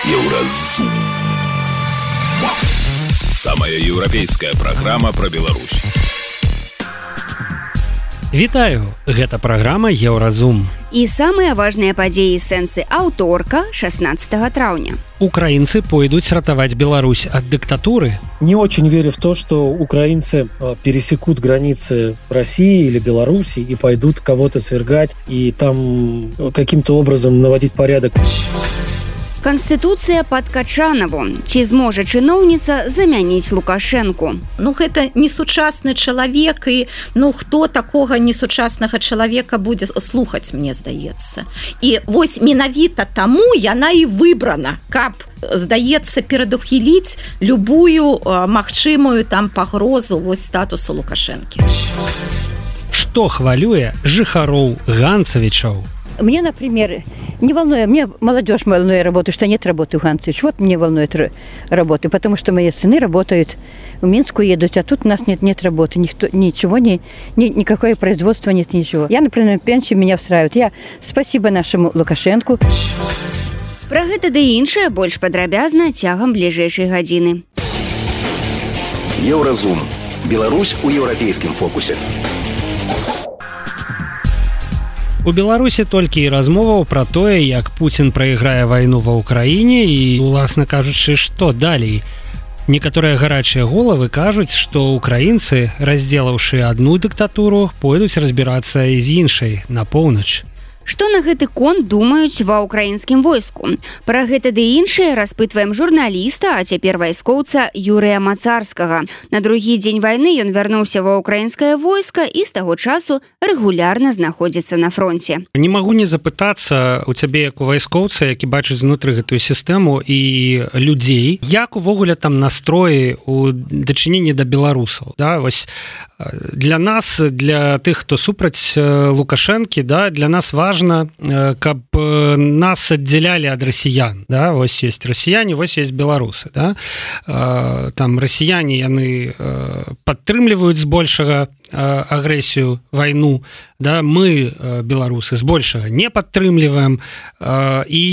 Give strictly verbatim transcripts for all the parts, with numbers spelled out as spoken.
Еўразум. Самая еўрапейская праграма пра Беларусь. Вітаю, гэта праграма Еўразум. І самыя важныя падзеі сэнсы аўторка шестнадцатого траўня. Украинцы пойдут ратовать Беларусь от диктатуры? Не очень верю в то, что украинцы пересекут границы России или Беларуси и пойдут кого-то свергать и там каким-то образом наводить порядок. Конституцыя пад Качанову. Ці зможа чыноўніца замяніць Лукашэнку? Ну, гэта несучасны чалавек, і ну, хто такога несучаснага чалавека будзе слухаць, мне здаецца. І вось менавіта таму яна і выбрана, каб, здаецца, перадухіліць любую а, магчымую там пагрозу вось статусу Лукашэнкі. Што хвалюе жыхароў Ганцавічаў? Мне, например, не волнует, мне молодежь волнует работу, что нет работы в Ганцевич. Вот мне волнует работы, потому что мои сыны работают, в Минску едут, а тут у нас нет, нет работы, никто, ничего, ни, ни, никакое производство нет, ничего. Я, например, пенсию меня устраивает. Я спасибо нашему Лукашенку. Пра гэта ды іншае больш падрабязна цягам бліжэйшай гадзіны. Еўразум. Беларусь у еўрапейскім фокусе. У Беларусі толькі і размоваў пра тое, як Пуцін прайграе вайну ва ўкраіне і, уласна кажучы, што далей. Некаторыя гарачыя головы кажуць, што украінцы, раздзелаўшы адну дыктатуру, пойдуць разбірацца і з іншай, на поўнач. Што на гэты конт думаюць ва ўкраінскім войску? Пра гэта ды іншае распытваем журналіста, а цяпер вайскоўца Юрыя Мацарскага. На другі дзень вайны ён вярнуўся ва ўкраінскае войска і з таго часу рэгулярна знаходзіцца на фронце. Не магу не запытацца у цябе, як у вайскоўца, які бачыць знутры гэтую сістэму і людзей, як увогуле там настроі у дачыненні да беларусаў. Да? Вось для нас, для тых, хто супраць Лукашэнкі, да, для нас важна, каб нас аддзялялі ад расіян. Да? Вось ёсць расіяне, вось ёсць беларусы. Да? Там расіяне, яны падтрымліваюць збольшага агрэсію, вайну. Да? Мы, беларусы, збольшага не падтрымліваем. І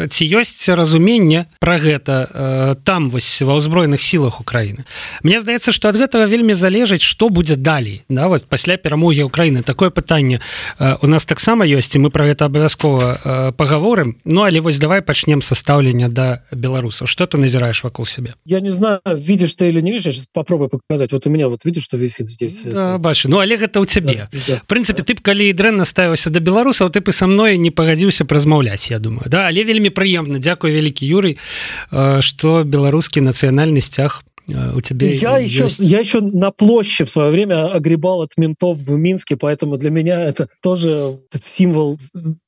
ці ёсць разуменне пра гэта там, вось, ва ўзброеных сілах Украіны. Мне здаецца, што ад гэтага вельмі залежыць, што будзе далей. Да? Вот пасля перамогі Украіны. Такое пытанне у нас таксама ёсць, і мы про гэта абавязкова паговорым. Ну, але вось давай пачнем са стаўлення да беларусаў. Што ты назіраеш вакол сябе? Я не знаю, видишь ты или не видишь, я сейчас попробую показать. Вот у меня, вот видишь, что висит здесь? Да, это... бачу. Ну, але гэта ў цябе. Да, да. В прынцыпе, ты б, калі дрэнна ставіўся да беларусаў, ты б і са мной не пагадзіўся празмаўляць, я думаю. Да? Але вельмі прыемна. Дзякуй, вялікі Юрый, што беларускі нацыянальны сцяг у тебя я еще, я еще на площади в свое время огребал от ментов в Минске, поэтому для меня это тоже этот символ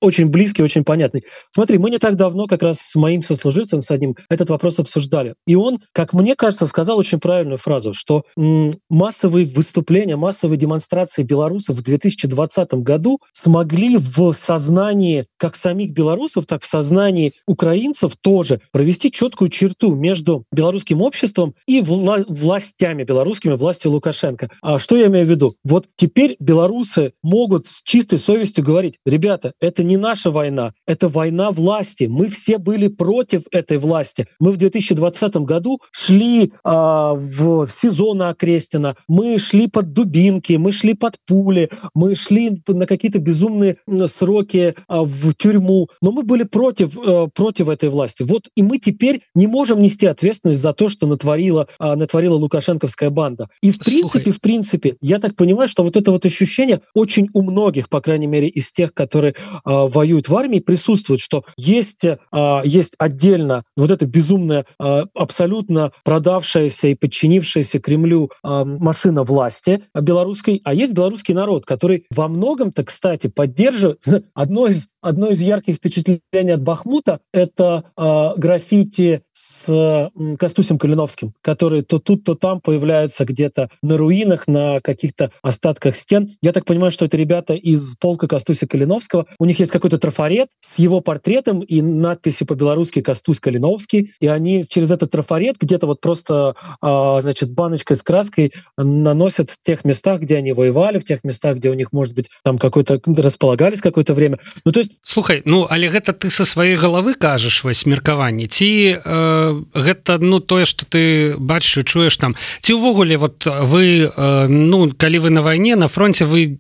очень близкий, очень понятный. Смотри, мы не так давно как раз с моим сослуживцем, с одним, этот вопрос обсуждали. И он, как мне кажется, сказал очень правильную фразу, что м- массовые выступления, массовые демонстрации белорусов в две тысячи двадцатом году смогли в сознании как самих белорусов, так в сознании украинцев тоже провести четкую черту между белорусским обществом и вла- властями белорусскими, властью Лукашенко. А что я имею в виду? Вот теперь белорусы могут с чистой совестью говорить: ребята, это не наша война, это война власти. Мы все были против этой власти. Мы в две тысячи двадцатом году шли а, в СИЗО на Окрестина, мы шли под дубинки, мы шли под пули, мы шли на какие-то безумные сроки а, в тюрьму, но мы были против, а, против этой власти. Вот и мы теперь не можем нести ответственность за то, что натворила, а, натворила лукашенковская банда. И в принципе, Слухай. в принципе, я так понимаю, что вот это вот ощущение очень у многих, по крайней мере, из тех, которые а, воюют в армии, присутствует, что есть, а, есть отдельно вот эта безумная, а, абсолютно продавшаяся и подчинившаяся Кремлю а, машина власти белорусской, а есть белорусский народ, который во многом-то, кстати, поддерживает. Одно из, одно из ярких впечатлений от Бахмута — это а, граффити с а, Костусем Калиновским, который которые то тут, то там появляются где-то на руинах, на каких-то остатках стен. Я так понимаю, что это ребята из полка Костуся Калиновского. У них есть какой-то трафарет с его портретом и надписью по-белорусски «Костусь Калиновский». И они через этот трафарет где-то вот просто, значит, баночкой с краской наносят в тех местах, где они воевали, в тех местах, где у них, может быть, там какой-то располагались какое-то время. Ну, то есть... Слухай, ну, але гэта ты со сваёй головы кажаш вось меркаванне, ці э, гэта, ну, тое, што ты бачыш, чуеш там, ці ўвогуле вот вы, э, ну, калі вы на вайне, на фронте, вы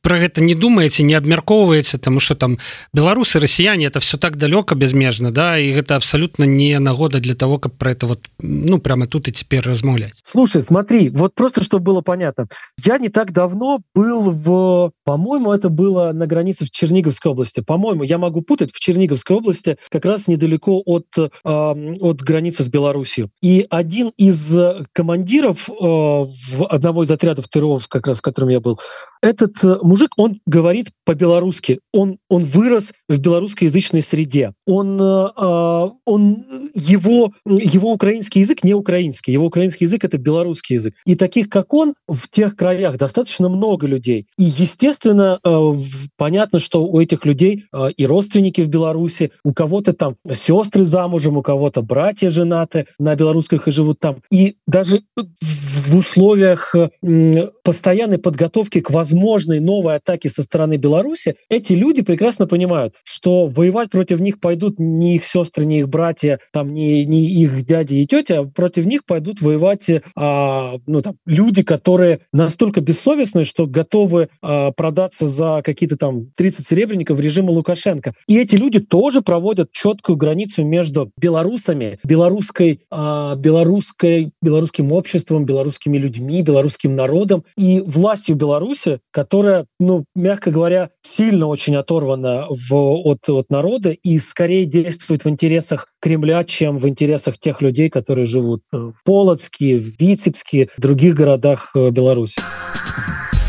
про гэта не думаете, не абмяркоўваеце, тому что там беларусы, россияне, это все так далёка безмежно, да, и это абсолютно не нагода для того, как про это вот, ну, прямо тут и теперь размаўлять. Слушай, смотри, вот просто, чтобы было понятно, я не так давно был в, по-моему, это было на границе в Черниговской области, по-моему, я могу путать, в Черниговской области, как раз недалеко от, э, от границы с Белоруссией. И один из командиров э, в одного из отрядов ТРО, как раз в котором я был, этот мужик, он говорит по-белорусски, он, он вырос в белорусскоязычной среде, он, э, он, его, его украинский язык не украинский, его украинский язык — это белорусский язык. И таких, как он, в тех краях достаточно много людей. И, естественно, э, понятно, что у этих людей э, и родственники в Беларуси, у кого-то там сестры замужем, у кого-то братья женаты на белорусских и живут там. И даже в условиях э, постоянной подготовки к возможной новой атаке со стороны Беларуси, эти люди прекрасно понимают, что воевать против них пойдут не их сестры, не их братья, там, не, не их дяди и тетя, а против них пойдут воевать а, ну, там, люди, которые настолько бессовестны, что готовы а, продаться за какие-то там тридцать серебряников режима Лукашенко. И эти люди тоже проводят четкую границу между белорусами, белорусской, а, белорусской, белорусским обществом, белорусскими людьми, белорусским народом и властью Беларуси, которая, ну, мягко говоря, сильно очень оторвана в, от, от народа и скорее действует в интересах Кремля, чем в интересах тех людей, которые живут в Полоцке, в Витебске, в других городах Беларуси.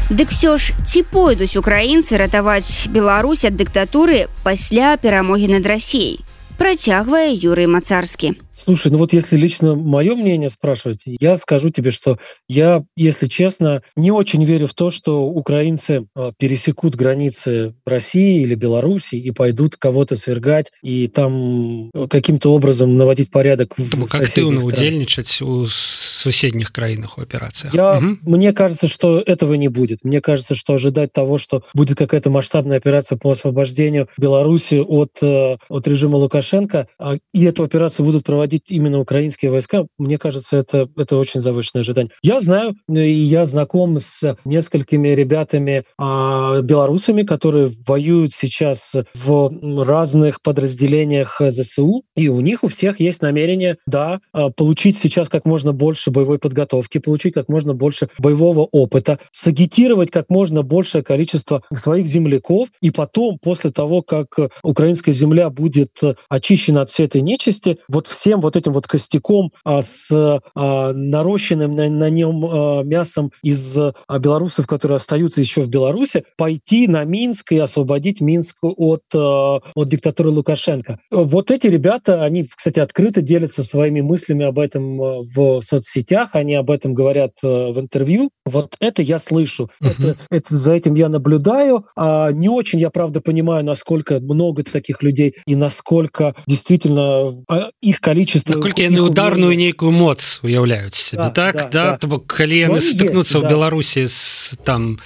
Дык все ж, ці пойдуць украінцы ратаваць Беларусь ад дыктатуры пасля перамогі над Расіяй? Працягвае Юрий Мацарскі. Слушай, ну вот если лично мое мнение спрашивать, я скажу тебе, что я, если честно, не очень верю в то, что украинцы пересекут границы России или Беларуси и пойдут кого-то свергать и там каким-то образом наводить порядок в соседних странах. Активно удельничать у соседних краинах в операциях. Я, угу. Мне кажется, что этого не будет. Мне кажется, что ожидать того, что будет какая-то масштабная операция по освобождению Беларуси от, от режима Лукашенко, и эту операцию будут проводить именно украинские войска, мне кажется, это, это очень завышенное ожидание. Я знаю, и я знаком с несколькими ребятами, а, белорусами, которые воюют сейчас в разных подразделениях ЗСУ, и у них у всех есть намерение, да, получить сейчас как можно больше боевой подготовки, получить как можно больше боевого опыта, сагитировать как можно большее количество своих земляков, и потом, после того, как украинская земля будет очищена от всей этой нечисти, вот всем вот этим вот костяком а, с а, нарощенным на, на нем а, мясом из а, белорусов, которые остаются еще в Беларуси, пойти на Минск и освободить Минск от, а, от диктатуры Лукашенко. Вот эти ребята, они, кстати, открыто делятся своими мыслями об этом в соцсетях, они об этом говорят а, в интервью. Вот это я слышу. Uh-huh. Это, это, за этим я наблюдаю. А, не очень я, правда, понимаю, насколько много таких людей и насколько действительно а, их количество наколькі яны ударную нейкую моц уяўляюць себе, да, так да, да, да. То бок калі яны сутыкнуцца ў да. Беларусі з там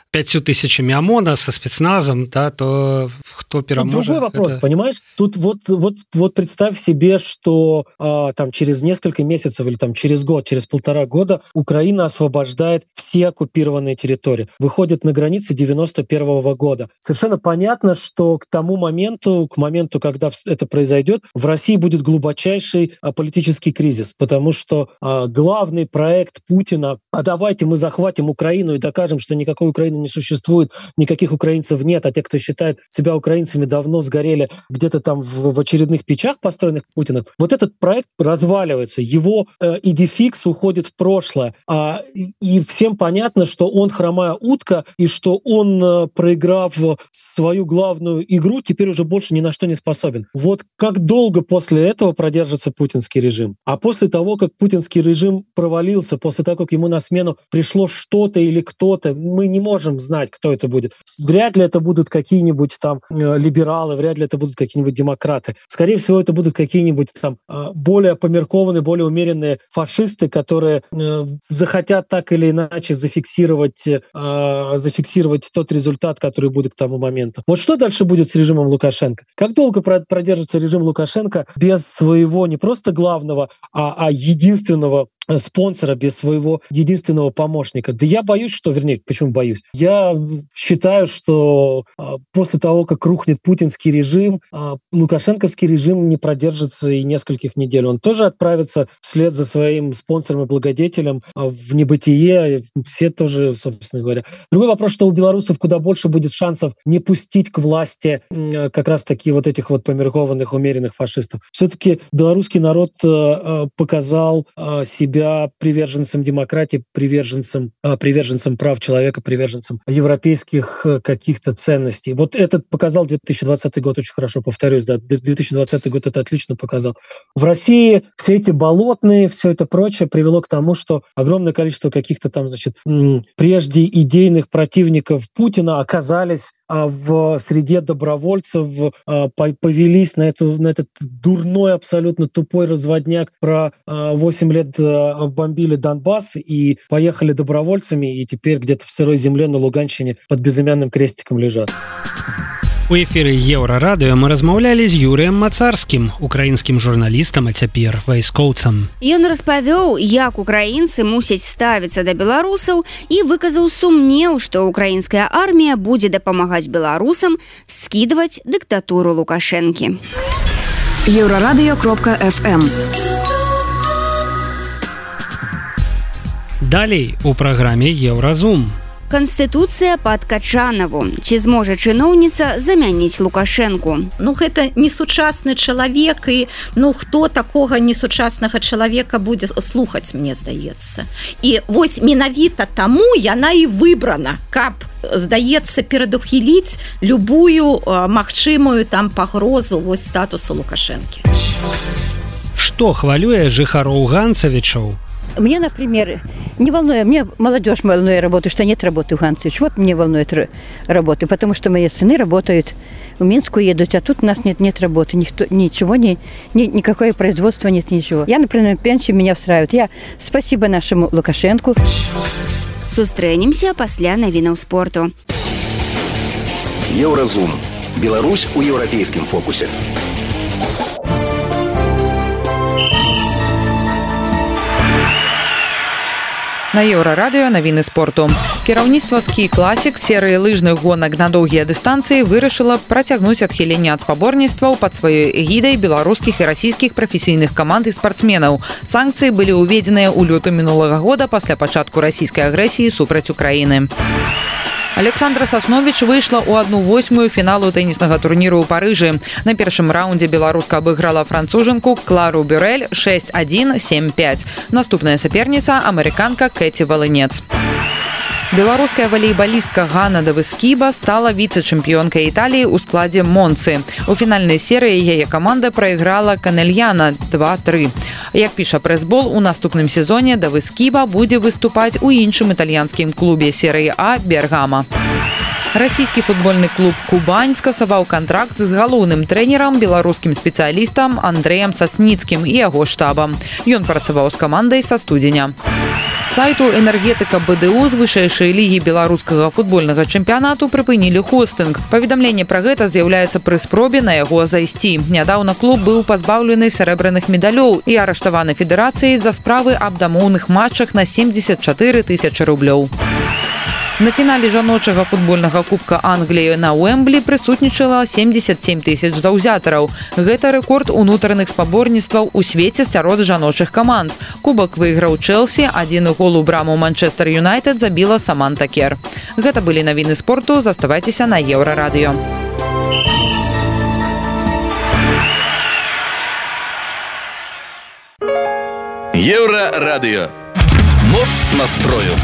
пятью тысячами ОМОНа со спецназом, да, то кто переможет? Другой вопрос, это... понимаешь? Тут вот, вот, вот представь себе, что а, там через несколько месяцев или там через год, через полтора года Украина освобождает все оккупированные территории, выходит на границы девяносто первого года. Совершенно понятно, что к тому моменту, к моменту, когда это произойдет, в России будет глубочайший а, политический кризис, потому что а, главный проект Путина, а давайте мы захватим Украину и докажем, что никакой Украины Украину не существует, никаких украинцев нет, а те, кто считает себя украинцами, давно сгорели где-то там в, в очередных печах, построенных Путиным. Вот этот проект разваливается, его э, идификс уходит в прошлое, а, и, и всем понятно, что он хромая утка, и что он, э, проиграв свою главную игру, теперь уже больше ни на что не способен. Вот как долго после этого продержится путинский режим? А после того, как путинский режим провалился, после того, как ему на смену пришло что-то или кто-то, мы не можем знать, кто это будет. Вряд ли это будут какие-нибудь там э, либералы, вряд ли это будут какие-нибудь демократы. Скорее всего, это будут какие-нибудь там э, более померкованные, более умеренные фашисты, которые э, захотят так или иначе зафиксировать, э, зафиксировать тот результат, который будет к тому моменту. Вот что дальше будет с режимом Лукашенко? Как долго продержится режим Лукашенко без своего не просто главного, а, а единственного спонсора, без своего единственного помощника? Да я боюсь, что... Вернее, почему боюсь? Я считаю, что а, после того, как рухнет путинский режим, а, лукашенковский режим не продержится и нескольких недель. Он тоже отправится вслед за своим спонсором и благодетелем а, в небытие. Все тоже, собственно говоря. Другой вопрос, что у белорусов куда больше будет шансов не пустить к власти а, как раз-таки вот этих вот померкованных, умеренных фашистов. Все-таки белорусский народ а, показал а, себя приверженцем демократии, приверженцем, приверженцем прав человека, приверженцем европейских каких-то ценностей. Вот этот показал две тысячи двадцатый год очень хорошо, повторюсь, да, две тысячи двадцатый год это отлично показал. В России все эти болотные, все это прочее привело к тому, что огромное количество каких-то там, значит, прежде идейных противников Путина оказались в среде добровольцев, повелись на, эту, на этот дурной, абсолютно тупой разводняк про восемь лет бомбили Донбасс и поехали добровольцами, и теперь где-то в сырой земле на Луганщине под безымянным крестиком лежат. У эфіры Еўрарадыё мы размаўлялі з Юрыем Мацарскім, украінскім журналістам, а цяпер вайскоўцам. Ён распавёў, як украінцы мусяць ставіцца да беларусаў і выказаў сумнеў, што украінская армія будзе дапамагаць беларусам скідваць дыктатуру Лукашэнкі. еўрарадыё кропка эф эм. Далей у праграме Еўразум. Канстытуцыя пад Качанаву. Ці зможа чыноўніца замяніць Лукашэнку? Ну, гэта несучасны чалавек, і ну, хто такога несучаснага чалавека будзе слухаць, мне здаецца. І вось менавіта таму яна і выбрана, каб, здаецца, перадухіліць любую а, магчымую там пагрозу вось статусу Лукашэнкі. Што хвалюе жыхароў Ганцавічаў? Мне, например, не волнует, мне молодежь волнует работы, что нет работы в Ганцевич. Вот мне волнует работы, потому что мои сыны работают, в Минску едут, а тут у нас нет, нет работы, никто, ничего, ни, ни, никакое производство нет, ничего. Я, например, пенсию меня устраивает. Я спасибо нашему Лукашенку. Сустрэнемся пасля навінаў спорту. Еўразум. Беларусь у еўрапейскім фокусе. На Еўрарадыё навіны спорту. Кіраўніцтва Ski Classic серыі лыжных гонак на доўгія дыстанцыі вырашыла працягнуць адхіленне ад спаборніцтваў пад сваёй эгідай беларускіх і расійскіх прафесійных каманд і спартсменаў. Санкцыі былі ўведзеныя ў лютым мінулага года пасля пачатку расійскай агрэсіі супраць Украіны. Александра Сасновіч выйшла ў адну восьмую фіналу тэніснага турніру ў Парыжы. На першым раўндзе беларуска абыграла францужанку Клару Бюрэль шэсць адзін сем пяць. Наступная саперніца амерыканка Кэці Валынец. Беларуская валейбалістка Ганна Давыскіба стала віцэ-чэмпіёнкай Італіі ў складзе Монцы. У фінальнай серыі яе каманда прайграла Канельяна два тры. Як піша прэсбол, у наступным сезоне Давыскіба будзе выступаць у іншым італьянскім клубе серыі А Бергама. Расійскі футбольны клуб «Кубань» скасаваў кантракт з галоўным трэнерам, беларускім спецыялістам Андрэем Сасніцкім і яго штабам. Ён працаваў з камандай са студзеня. Сайту «Энергетыка БДУ» з вышэйшай лігі беларускага футбольнага чэмпіянату прыпынілі хостынг. Паведамленне пра гэта з'яўляецца пры спробе на яго зайсці. Нядаўна клуб быў пазбаўлены сярэбраных медалёў і арыштаваны федэрацыяй за справы аб дамоўных матчах на семьдесят чатыры тысячы рублёў. На фінале жаночага футбольнага кубка Англіі на Уэмблі прысутнічала семьдесят семь тысяч заўзятараў. Гэта рэкорд унутраных спаборніцтваў у свеце сярод жаночых каманд. Кубак выйграў Чэлсі, адзіны гол у браму Манчестер Юнайтед забіла Саманта Кер. Гэта былі навіны спорту, заставайцеся на Еўрарадыё. Еўрарадыё. Моц настрою.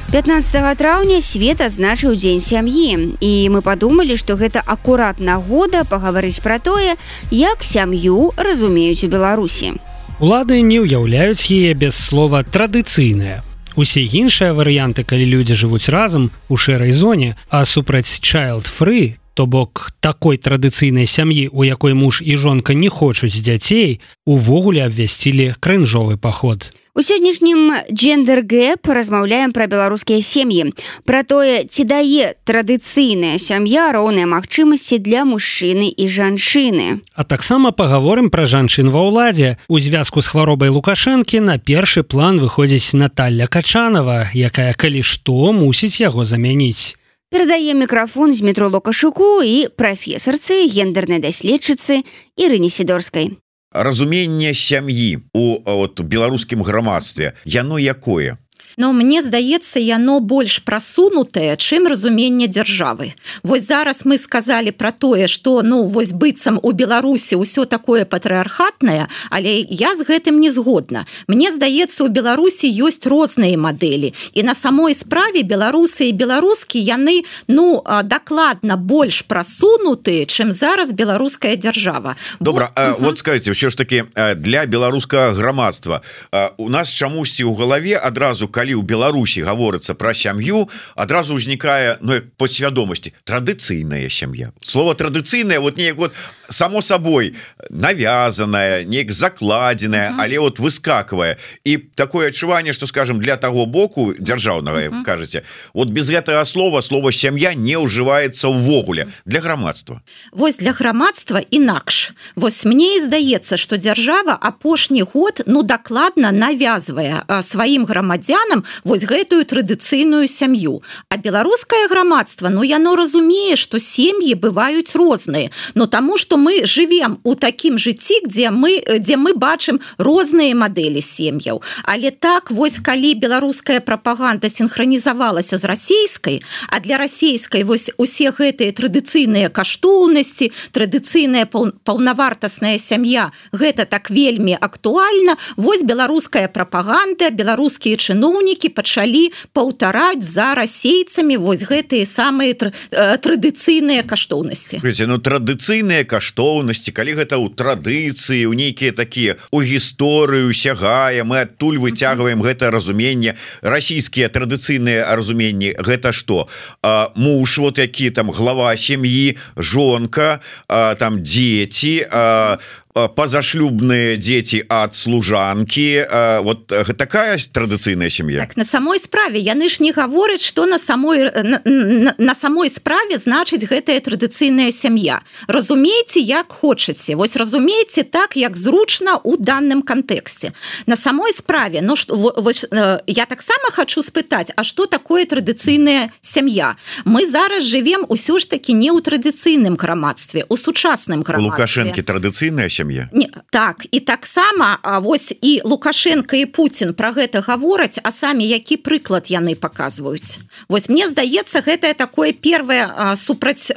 пятнадцатага траўня свет адзначыў дзень сям'і, і мы падумалі, што гэта акурат нагода пагаварыць пра тое, як сям'ю разумеюць у Беларусі. Улады не ўяўляюць яе без слова традыцыйная. Усе іншыя варыянты, калі людзі жывуць разам у шэрай зоне, а супраць child-free, то бок такой традыцыйнай сям'і, у якой муж і жонка не хочуць дзяцей, увогуле абвясцілі крынжовы паход. У сённяшнім Gender Gap размаўляем пра беларускія сем'і, пра тое, ці дае традыцыйная сям'я роўныя магчымасці для мужчыны і жанчыны. А таксама пагаворым пра жанчын ва ўладзе. У звязку з хваробай Лукашэнкі на першы план выходзіць Наталья Качанова, якая, калі што, мусіць яго замяніць. Перадае мікрафон Змітру Лукашуку і прафесарцы, гендернай даследчыцы Ірыне Сідорскай. Разуменне сям'і у от, беларускім грамадстве, яно якое? Но мне здаецца, яно больш прасунутае, чым разуменне дзяржавы. Вось зараз мы сказалі пра тое, што ну вось быццам у Беларусі ўсё такое патрыархатнае, але я з гэтым не згодна. Мне здаецца, у Беларусі ёсць розныя мадэлі, і на самой справе беларусы і беларускі яны ну дакладна больш прасунутыя, чым зараз беларуская дзяржава. Добра, Бо... вот скажите, ўсё ж таки для беларускага грамадства у нас чамусьці ў галаве адразу калі у Беларусі гаворыцца пра сям'ю, адразу ўзнікае ну, падсвядомасці традыцыйная сям'я. Слово традыцыйная вот неяк вот само сабой навязаная, неяк закладзеная, uh -huh. але вот выскаквае. І такое адчуванне, што скажем для таго боку дзяржаўнага, uh -huh. кажаце, вот без гэтага слова слово сям'я не ўжываецца ўвогуле для грамадства. Вось для грамадства інакш. Вось мне і здаецца, што дзяржава апошні год ну дакладна навязвае сваім грамадзянам вось гэтую традыцыйную сям'ю. А беларускае грамадства, ну яно разумее, што сем'і бываюць розныя, но таму што мы жывем у такім жыцці, дзе мы, дзе мы бачым розныя мадэлі сем'яў. Але так вось калі беларуская прапаганда синхронізавалася з расійскай, а для расійскай вось усе гэтыя традыцыйныя каштоўнасці, традыцыйная паўнавартасная сям'я, гэта так вельмі актуальна, вось беларуская прапаганда, беларускія чыноўнікі пачалі паўтараць за расейцамі вось гэтыя самыя традыцыйныя каштоўнасці. Ну традыцыйныя каштоўнасці, калі гэта ў традыцыі, у нейкія такія у гісторыю сягае, мы адтуль выцягваем гэта разуменне. Расійскія традыцыйныя разуменні гэта што? А, муж вот які там глава сям'і, жонка, а, там дзеці, а, пазашлюбныя дзеці ад служанкі, вот такая традыцыйная сям'я. Так, на самой справе яны ж не гавораць, што на самой на, на, на самой справе значыць гэтая традыцыйная сям'я. Разумееце, як хочаце. Вось разумееце так, як зручна ў данным кантэксце. На самой справе, ну што вось, я таксама хочу спытаць, а што такое традыцыйная сям'я? Мы зараз жывем усё ж таки не ў традыцыйным грамадстве, у сучасным грамадстве. Лукашэнкі традыцыйная сям'я. Не, так, і таксама вось і Лукашенко і Путін пра гэта гавораць, а самі які прыклад яны паказваюць. Вось мне здаецца, гэта такое первое супраць,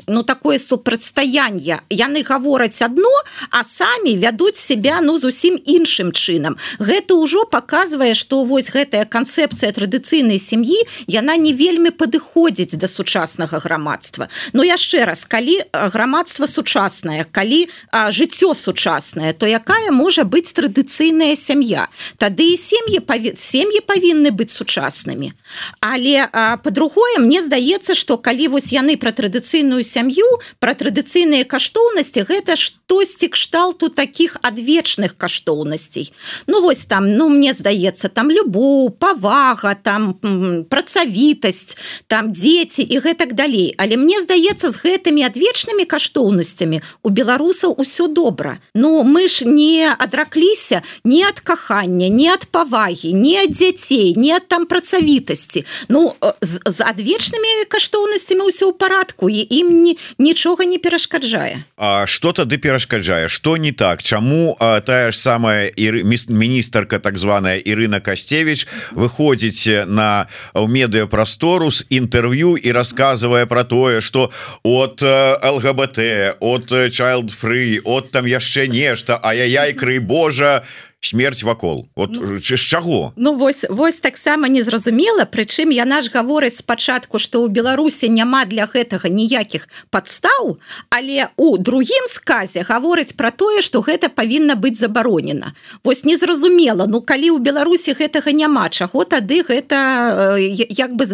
ну такое супрацьстаянне. Яны гавораць адно, а самі вядуць себя ну зусім іншым чынам. Гэта ўжо паказвае, што вось гэтая канцэпцыя традыцыйнай сям'і, яна не вельмі падыходзіць да сучаснага грамадства. Но яшчэ раз, калі грамадства сучаснае, калі жыццё сучаснае, то якая можа быць традыцыйная сям'я? Тады і сем'і паві... сем'і павінны быць сучаснымі. Але па-другое, мне здаецца, што калі вось яны пра традыцыйную сям'ю, пра традыцыйныя каштоўнасці, гэта штосьці кшталту такіх адвечных каштоўнасцей. Ну вось там, ну мне здаецца, там любоў, павага, там працавітасць, там дзеці і гэтак далей. Але мне здаецца, з гэтымі адвечнымі каштоўнасцямі у беларусаў усё добра. Ну, мы ж не адракліся ні ад кахання, ні ад павагі, ні ад дзяцей, ні ад там працавітасці. Ну, з, з адвечнымі каштоўнасцямі ўсё ў парадку, і ім ні, нічога не перашкаджае. А што тады перашкаджае? перашкаджае, что не так, чаму а, тая ж самая ір... міністрка так званая Ірына Касцевич выходзіць на ў медыапрастору з інтэрв'ю і рассказывае про тое, что от ЛГБТ, от child free, от там яшчэ нешта, ай-яй-яй, крый Божа, смерть вакол. Вот ну, з чаго? Ну вось вось таксама незразумела, прычым яна ж гаворыць спачатку, што ў Беларусі няма для гэтага ніякіх падстаў, але у другім сказе гаворыць пра тое, што гэта павінна быць забаронена. Вось незразумела, ну калі ў Беларусі гэтага няма, чаго тады гэта як бы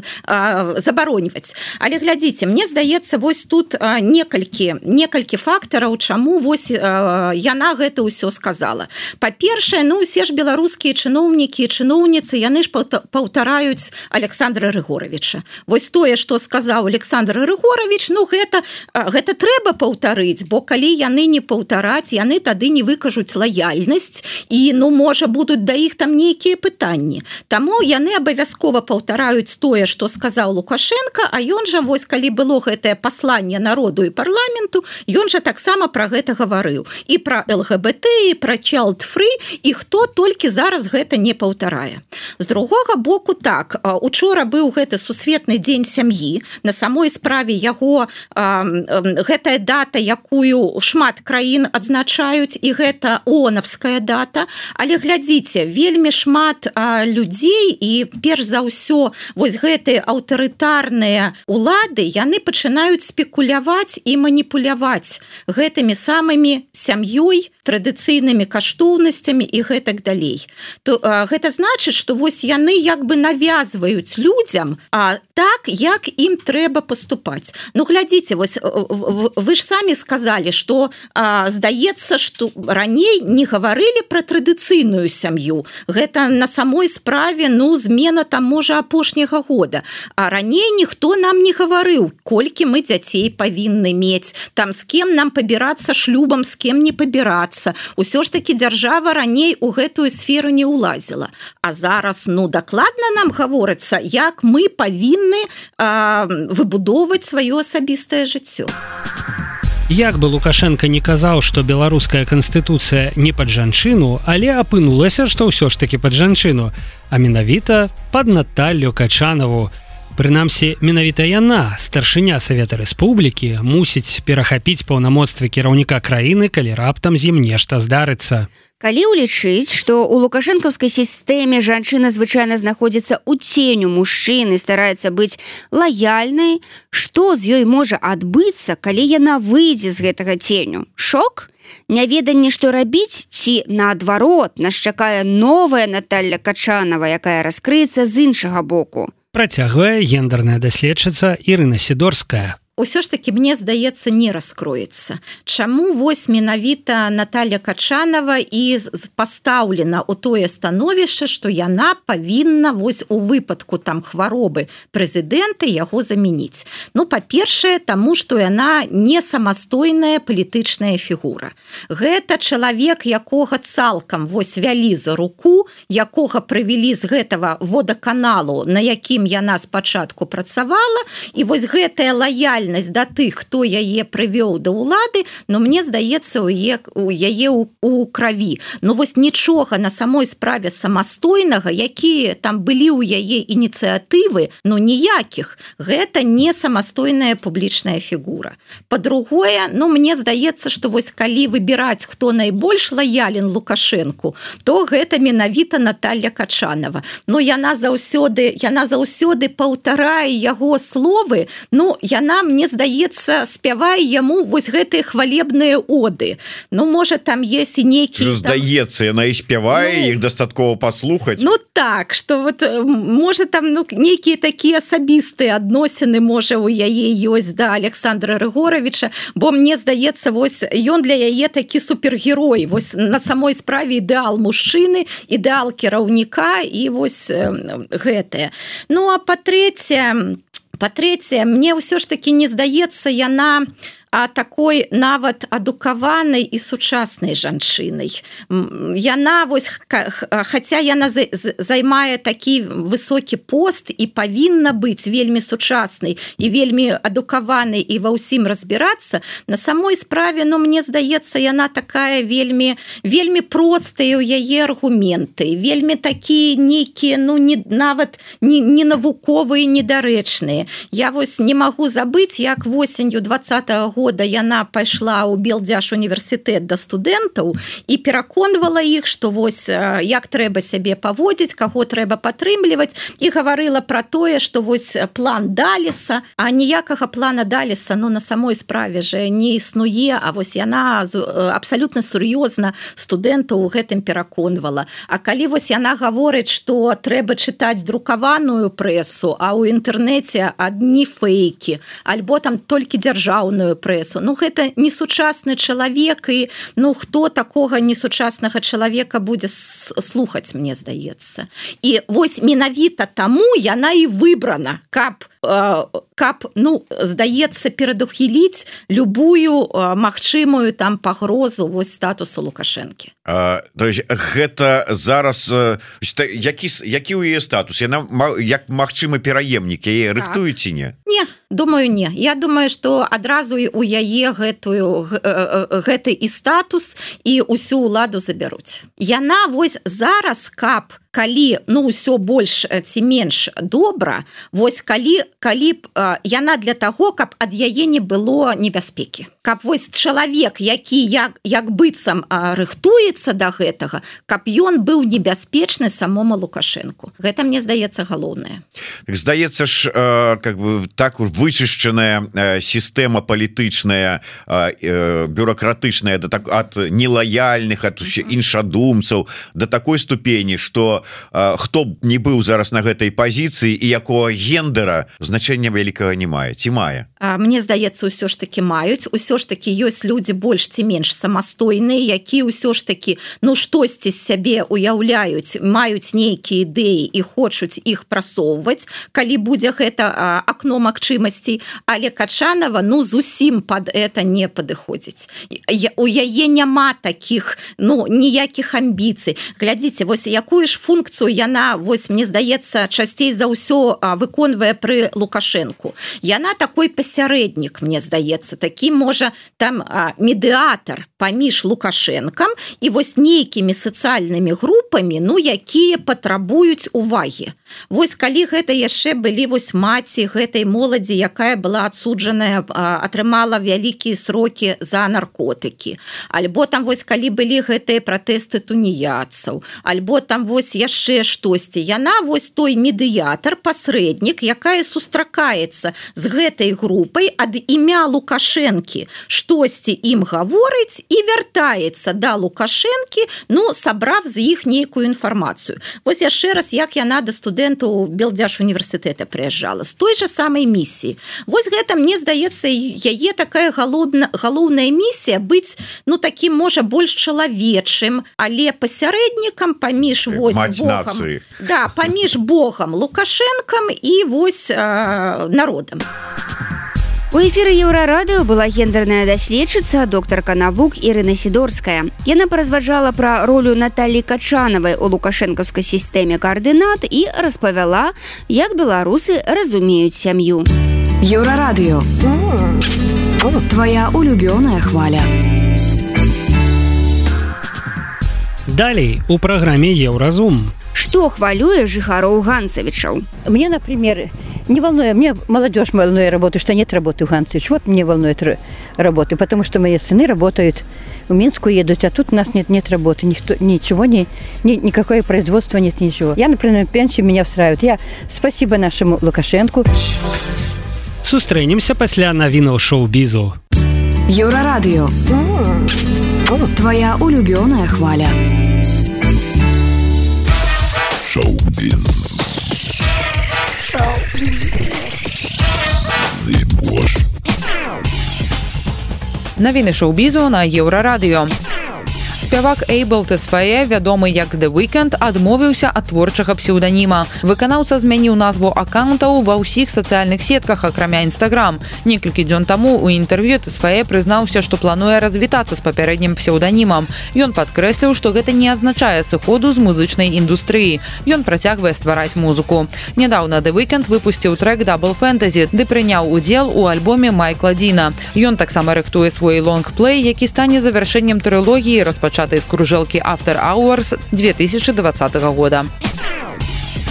забароньваць. Але глядзіце, мне здаецца, вось тут некалькі некалькі фактараў, чаму вось яна гэта ўсё сказала. Па-першае, ну усе ж беларускія чыноўнікі і чыноўніцы, яны ж паўтараюць Александра Рыгоровича. Вось тое, што сказаў Александр Рыгорович, ну гэта гэта трэба паўтарыць, бо калі яны не паўтараць, яны тады не выкажуць лаяльнасць і ну можа будуць да іх там нейкія пытанні. Таму яны абавязкова паўтараюць тое, што сказаў Лукашенко, а ён жа вось калі было гэтае пасланне народу і парламенту, ён жа таксама пра гэта гаварыў. І пра ЛГБТ, і пра child free, і хто толькі зараз гэта не паўтарае. З другога боку, так, учора быў гэты сусветны дзень сям'і, на самой справе яго гэтая дата, якую шмат краін адзначаюць, і гэта ООНовская дата, але глядзіце, вельмі шмат людзей і перш за ўсё вось гэтыя аўтарытарныя улады, яны пачынаюць спекуляваць і маніпуляваць гэтымі самымі сям'ёй, традыцыйнымі каштоўнасцямі і гэтак далей. То а, гэта значыць, што вось яны як бы навязваюць людзям а так, як ім трэба паступаць. Ну глядзіце, вось вы ж самі сказалі, што а, здаецца, што раней не гаварылі пра традыцыйную сям'ю. Гэта на самой справе, ну, змена там можа апошняга года. А раней ніхто нам не гаварыў, колькі мы дзяцей павінны мець, там з кем нам пабірацца шлюбам, з кем не пабірацца. Усё ж такі дзяржава раней у гэтую сферу не ўлазіла. А зараз, ну, дакладна нам гаворыцца, як мы павінны а, выбудоўваць сваё асабістае жыццё. Як бы Лукашенко не казаў, што беларуская канстытуцыя не пад жанчыну, але апынулася, што ўсё ж такі пад жанчыну, а менавіта пад Наталлю Качанову. Прынамсі, менавіта яна, старшыня Савета Рэспублікі, мусіць перахапіць паўнамоцтвы кіраўніка краіны, калі раптам з ім нешта здарыцца. Калі ўлічыць, што ў лукашэнкаўскай сістэме жанчына звычайна знаходзіцца ў ценю мужчыны, стараецца быць лаяльнай, што з ёй можа адбыцца, калі яна выйдзе з гэтага ценю? Шок? Няведанне, што рабіць, ці наадварот, нас чакае новая Наталля Качанова, якая раскрыецца з іншага боку. Працягвае гендерная даследчыца Ірына Сідорская. Усё ж таки, мне здаецца, не раскроецца. Чаму вось менавіта Наталья Качанова і пастаўлена ў тое становішча, што яна павінна вось у выпадку там хваробы прэзідэнта яго замяніць. Ну, па-першае, таму, што яна не самастойная палітычная фігура. Гэта чалавек, якога цалкам вось вялі за руку, якога прывялі з гэтага водаканалу, на якім яна спачатку працавала, і вось гэтая лаяльнасць да тых, хто яе прывёў да ўлады, но мне здаецца, у яе у краві. Ну вось нічога на самой справе самастойнага, якія там былі ў яе ініцыятывы, ну ніякіх. Гэта не самастойная публічная фігура. Па-другое, ну мне здаецца, што вось калі выбіраць, хто найбольш лаялен Лукашэнку, то гэта менавіта Наталья Качанова. Ну яна заўсёды, яна заўсёды паўтарае яго словы, ну яна мне мне здаецца, спявае яму вось гэтыя хвалебныя оды. Ну, можа, там есть і нейкі... Здаецца, яна і спявае, ну, іх дастаткова паслухаць. Ну, так, што вот, можа, там ну, нейкія такія асабістыя адносіны, можа, у яе ёсць да Александра Рыгоровича, бо мне здаецца, вось, ён для яе такі супергерой. Вось на самой справе ідэал мужчыны, ідэал кіраўніка і вось э, гэтае. Ну, а па-трэцяе... Па-трэцяе, мне ўсё ж такі не здаецца, яна а такой нават адукаванай і сучаснай жанчынай. Яна вось, хаця яна займае такі высокі пост і павінна быць вельмі сучаснай і вельмі адукаванай і ва ўсім разбірацца, на самой справе, ну, мне здаецца, яна такая вельмі, вельмі простая ў яе аргументы, вельмі такія нейкія, ну, не, нават не, не навуковыя, недарэчныя. Я вось не магу забыць, як восенню двадцатага года яна пайшла ў Белдзяш універсітэт да студэнтаў і пераконвала іх, што вось як трэба сябе паводзіць, каго трэба падтрымліваць, і гаварыла пра тое, што вось план Даліса, а ніякага плана Даліса, ну, на самой справе же не існуе, а вось яна абсалютна сур'ёзна студэнтаў у гэтым пераконвала. А калі вось яна гаворыць, што трэба чытаць друкаваную прэсу, а ў інтэрнэце адні фейкі, альбо там толькі дзяржаўную прэсу, ну, гэта несучасны чалавек, і, ну, хто такога несучаснага чалавека будзе слухаць, мне здаецца. І вось менавіта таму яна і выбрана, каб каб, ну, здаецца, перадухіліць любую магчымую там пагрозу вось статусу Лукашэнкі. А, то есть гэта зараз які, які ў яе статус? Яна як магчымы пераемнік, яе так. Рыхтуюць ці не? Не, думаю, не. Я думаю, што адразу у яе гэтую, гэты і статус і ўсю ўладу забяруць. Яна вось зараз, каб калі, ну, ўсё больш ці менш добра, вось калі, калі б яна для таго, каб ад яе не было небяспекі. Каб вось чалавек, які як, як быццам рыхтуецца да гэтага, каб ён быў небяспечны самому Лукашэнку. Гэта, мне здаецца, галоўнае. Так, здаецца ж, как бы, так вычышчаная сістэма палітычная, бюрократычная ад нелаяльных, ад іншадумцаў, да такой ступені, што хто б не быў зараз на гэтай пазіцыі і якога гендера, значэння вялікага не мае, ці мае? Мне здаецца, усё ж такі маюць, усё ж такі ёсць людзі больш ці менш самастойныя, якія ўсё ж такі, ну, штосьці з сябе уяўляюць, маюць нейкія ідэі і хочуць іх прасоўваць, калі будзе гэта акно магчымасцей, але Качанова, ну, зусім пад это не падыходзіць. У яе няма такіх, ну, ніякіх амбіцый. Глядзіце, вось якую ж функцыю яна, вось, мне здаецца, часцей за ўсё выконвае пры Лукашэнку. Яна такой пасярэднік, мне здаецца, такі, можа, там медыатар паміж Лукашэнкам і вось нейкімі сацыяльнымі групамі, ну, якія патрабуюць увагі. Вось калі гэта яшчэ былі вось маці гэтай моладзі, якая была адсуджаная, атрымала вялікія срокі за наркотыкі, альбо там вось калі былі гэтыя пратэсты туніяцаў, альбо там вось яшчэ штосьці. Яна вось той медыятар, пасрэднік, якая сустракаецца з гэтай групай ад імя Лукашэнкі, штосьці ім гаворыць і вяртаецца да Лукашэнкі, ну, сабрав з іх нейкую інфармацыю. Вось яшчэ раз, як яна да студэнтаў Белдзяш універсітэта прыязджала, з той жа самай місіі. Вось гэта, мне здаецца, яе такая галоўна, галоўная місія быць, ну, такім, можа, больш чалавечым, але пасярэднікам паміж вось Богам, да, паміж Богам, Лукашэнкам і вось э, народам. У эфіры Еўрарадыё была гендерная даследчыца, доктарка навук Ірына Сідорская. Яна паразважала пра ролю Наталлі Качанавай у лукашэнкаўскай сістэме каардынат і распавяла, як беларусы разумеюць сям'ю. Еўрарадыё. Твоя улюбёная хваля. Далей у праграме Еўразум. Што хвалюе жыхароў Ганцавічаў? Мне, например, не волнует, мне молодежь волнует работы, что нет работы в Ганцевич. Вот мне волнует работы, потому что мои сыны работают, в Минску едут, а тут у нас нет, нет работы, никто, ничего, ни, ни, никакое производство нет, ничего. Я, например, пенсию меня устраивает. Я спасибо нашему Лукашенку. Сустрэнемся пасля навінаў шоу-бізу. Еўрарадыё. Твоя улюбёная хваля. Шоу-біз. Навіны шоу-бізу на Еўрарадыё. Спявак Эйбл Тесфае, вядомы як The Weeknd, адмовіўся ад творчага псеўданіма. Выканаўца змяніў назву аккаунтаў ва ўсіх сацыяльных сетках, акрамя Instagram. Некалькі дзён таму у інтэрв'ю Тесфае прызнаўся, што плануе развітацца з папярэднім псеўданімам. Ён падкрэсліў, што гэта не азначае сыходу з музычнай індустрыі. Ён працягвае ствараць музыку. Нядаўна The Weeknd выпусціў трэк Double Fantasy, ды прыняў удзел у альбоме Майкла Діна. Ён таксама рыхтуе свой лонгплей, які стане завяршэннем трылогіі, распачатай з кружэлкі After Hours две тысячи двадцатого года.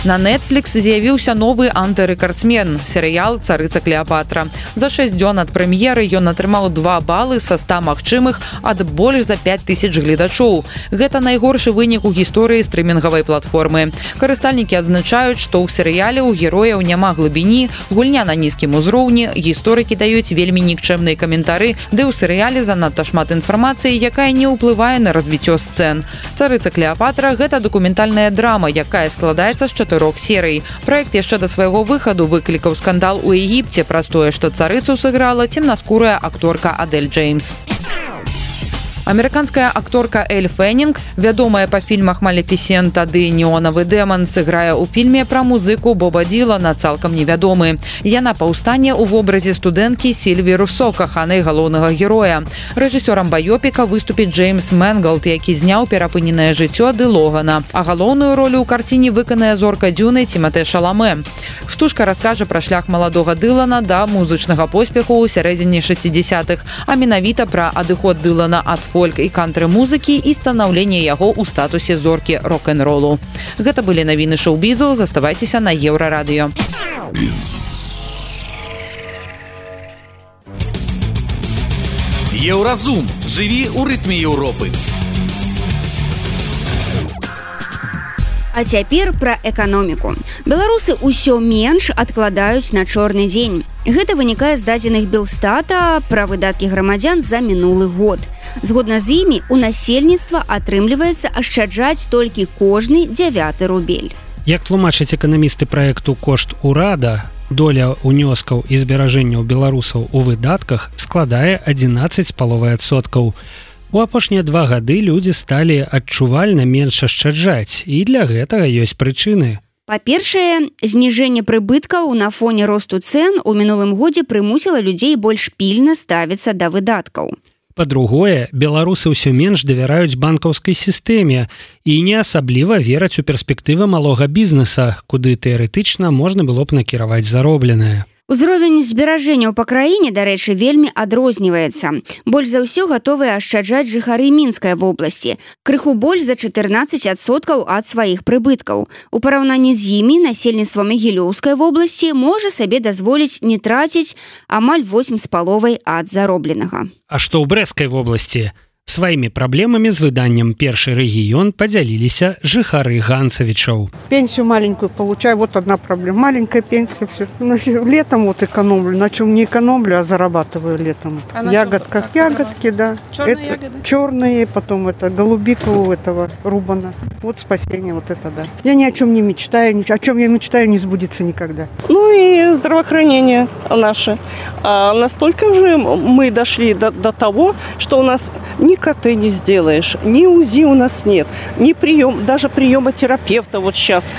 На Netflix з'явіўся новы антырэкардсмен – серыял «Царыца Клеапатра». За шэсць дзён ад прэм'еры ён атрымаў два балы са ста магчымых ад больш за пяць тысяч гледачоў. Гэта найгоршы вынік у гісторыі стрымінгавай платформы. Карыстальнікі адзначаюць, што ў серыяле ў герояў няма глыбіні, гульня на нізкім узроўні, гісторыкі даюць вельмі нікчэмныя каментары, ды ў серыяле занадта шмат інфармацыі, якая не ўплывае на развіццё сцэн. «Царыца Клеапатра» – гэта дакументальная драма, якая складаецца з чатырох серый. Праект яшчэ да свайго выхаду выклікаў скандал у Егіпце праз тое, што царыцу сыграла цемнаскурая акторка Адель Джеймс. Амерыканская акторка Эль Феннинг, вядомая па фільмах «Малефісента» ды «Неонавы дэман», сыграе ў фільме пра музыку Боба Ділана «Цалкам невядомы». Яна паўстане ў вобразе студэнткі Сільві Руссо, каханай галоўнага героя. Рэжысёрам баёпіка выступіць Джеймс Мэнгалд, які зняў «Перапыненае жыццё» ды «Логана». А галоўную ролю ў карціне выканае зорка Дзюны Ціматэ Шаламе. Стужка раскажа пра шлях маладога Дылана да музычнага поспеху ў сярэдзіне шэсцідзесятых, а менавіта пра адыход Дылана ад фольк і кантры-музыкі і станаўленне яго ў статусе зоркі рок-н-ролу. Гэта былі навіны шоу-бізу, заставайцеся на Еўрарадыё. Еўразум. Жыві ў рытме Еўропы. А цяпер пра эканоміку. Беларусы ўсё менш адкладаюць на чорны дзень. Гэта вынікае з дадзеных Белстата пра выдаткі грамадзян за мінулы год. Згодна з імі, у насельніцтва атрымліваецца ашчаджаць толькі кожны дзявяты рубель. Як тлумачаць эканамісты праекту «Кошт урада», доля унёскаў і зберажэнняў беларусаў у выдатках складае адзінаццаць з паловай адсоткаў. У апошнія два гады людзі сталі адчувальна менш ашчаджаць, і для гэтага ёсць прычыны. Па-першае, зніжэнне прыбыткаў на фоне росту цэн у мінулым годзе прымусіла людзей больш пільна ставіцца да выдаткаў. Па-другое, беларусы ўсё менш давяраюць банкаўскай сістэме і не асабліва вераць у перспектывы малога бізнеса, куды тэарэтычна можна было б накіраваць заробленае. Узровень зберажэнняў па краіне, дарэчы, вельмі адрозніваецца. Больш за ўсё гатовыя ашчаджаць жыхары Мінскай вобласці. Крыху больш за чатырнаццаць адсоткаў ад сваіх прыбыткаў. У параўнанні з імі насельніцтва Магілёўскай вобласці можа сабе дазволіць не траціць амаль восем з паловай ад заробленага. А што ў Брэсцкай вобласці? Сваімі праблемамі з выданнем «Першы рэгіён» падзяліліся жыхары Ганцавічаў. Пенсию маленькую получаю, вот одна проблема. Маленькая пенсия, все. Ну, летом вот экономлю, на чем не экономлю, а зарабатываю летом. А ягодка, ягодки, да. Черные ягоды? Черные, потом это голубика у этого Рубана. Вот спасение, вот это да. Я ни о чем не мечтаю, о чем я мечтаю, не сбудется никогда. Ну и здравоохранение наше. А настолько уже мы дошли до, до того, что у нас ни КТ не сделаешь, ни УЗИ у нас нет, ни прием, даже приема терапевта вот сейчас,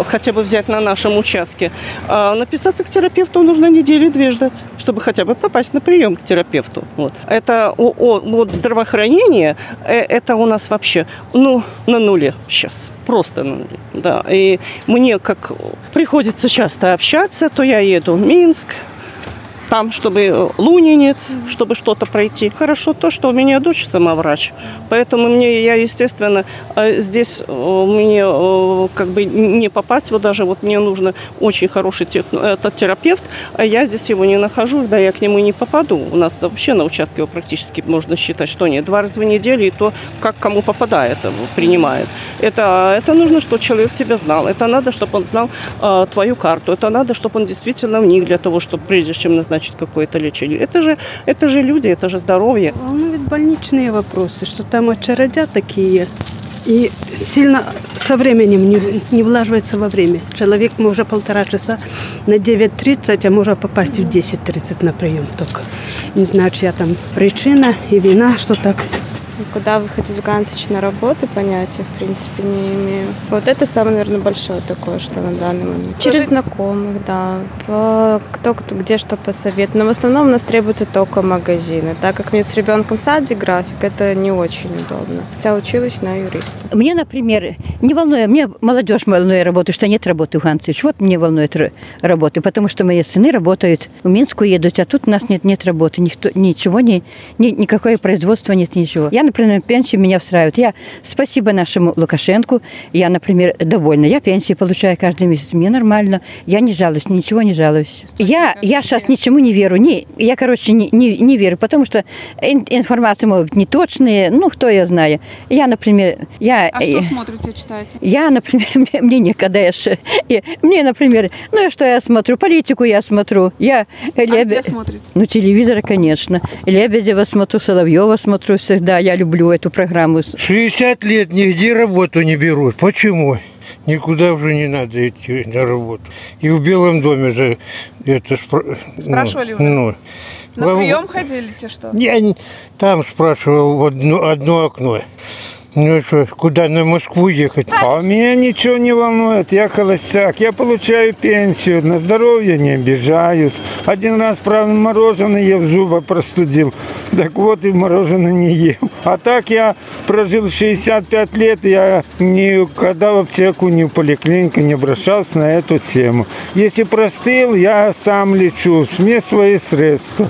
хотя бы взять на нашем участке. Написаться к терапевту нужно недели-две ждать, чтобы хотя бы попасть на прием к терапевту. Вот. Это о, о, вот здравоохранение, это у нас вообще ну, на нуле сейчас. Просто на нуле. Да. И мне как приходится часто общаться, то я еду в Минск, там, чтобы Лунинец, чтобы что-то пройти. Хорошо то, что у меня дочь сама врач. Поэтому мне, я, естественно, здесь мне как бы не попасть. Вот даже вот мне нужно очень хороший тех, этот терапевт, а я здесь его не нахожу, да я к нему не попаду. У нас вообще на участке его практически можно считать, что нет. Два раза в неделю, и то, как кому попадает, принимает. Это, это нужно, чтобы человек тебя знал. Это надо, чтобы он знал э, твою карту. Это надо, чтобы он действительно вник для того, чтобы прежде чем назначить какое-то лечение. Это же, это же люди, это же здоровье. Ну, ведь больничные вопросы, что там очередя такие. И сильно со временем не, не влаживается во время. Человек может полтора часа на девять тридцать, а может попасть в десять тридцать на прием только. Не знаю, чья там причина и вина, что так Куда выходить в Гансич на работу, понятия, в принципе, не имею. Вот это самое, наверное, большое такое, что на данный момент. Служить? Через знакомых, да. По, кто, кто где что посоветует. Но в основном у нас требуются только магазины. Так как мне с ребенком в саде график, это не очень удобно. Хотя училась на юриста. Мне, например, не волнует, мне молодежь волнует работу, что нет работы в Гансич. Вот мне волнует работы, потому что мои сыны работают, в Минску едут, а тут у нас нет, нет работы, никто, ничего, ни, ни, никакое производство нет, ничего. Я, например, пенсию меня устраивает. Я, спасибо нашему Лукашенку, я, например, довольна. Я пенсию получаю каждый месяц, мне нормально. Я не жалуюсь, ничего не жалуюсь. Я, я сейчас ничему не верю. Не, я, короче, не, не, не верю, потому что информация может быть неточная, ну, кто я знаю. Я, например... Я, а что смотрите, читаете? Я, например, мне, мне некогда. Я, мне, например, ну, что я смотрю? Политику я смотрю. Я, а Лебе... где смотрите? Ну, телевизор, конечно. Лебедева смотрю, Соловьева смотрю всегда. Я люблю эту программу. шестьдесят лет нигде работу не берут. Почему? Никуда уже не надо идти на работу. И в Белом доме же это... Спра... Спрашивали вы? Ну, на вам... прием ходили, те что? Я там спрашивал в одно, одно окно. Ну что, куда на Москву ехать? А меня ничего не волнует, я холостяк, я получаю пенсию, на здоровье не обижаюсь. Один раз, правда, мороженое ел, зубы простудил, так вот и мороженое не ел. А так я прожил шестьдесят пять лет, я никогда в аптеку, ни в поликлинику не обращался на эту тему. Если простыл, я сам лечусь, мне свои средства.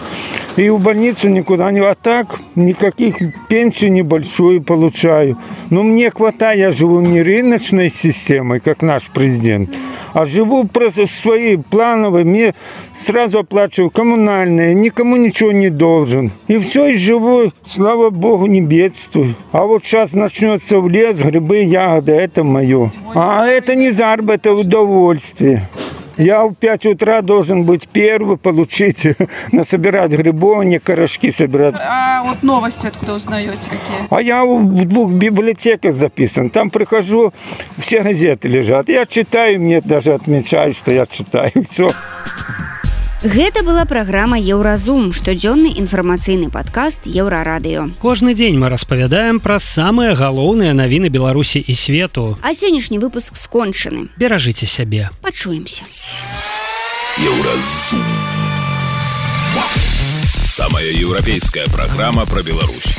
И в больницу никуда не... А так никаких пенсию небольшую получаю. Но мне хватает, я живу не рыночной системой, как наш президент, а живу просто своей плановой. Мне сразу оплачиваю коммунальные, никому ничего не должен. И все, и живу, слава богу, не бедствую. А вот сейчас начнется в лес, грибы, ягоды, это мое. А это не заработок, это удовольствие. Я в пять утра должен быть первый, получить, насобирать грибов, не корешки собирать. А вот новости откуда узнаете какие? А я в двух библиотеках записан. Там прихожу, все газеты лежат. Я читаю, мне даже отмечают, что я читаю. Все. Гэта была праграма Еўразум, штодзённы інфармацыйны падкаст Еўрарадыё. Кожны дзень мы распавядаем пра самыя галоўныя навіны Беларусі і свету. А сённяшні выпуск скончаны. Беражыце сябе. Пачуемся. Еўразум. Самая еўрапейская праграма пра Беларусь.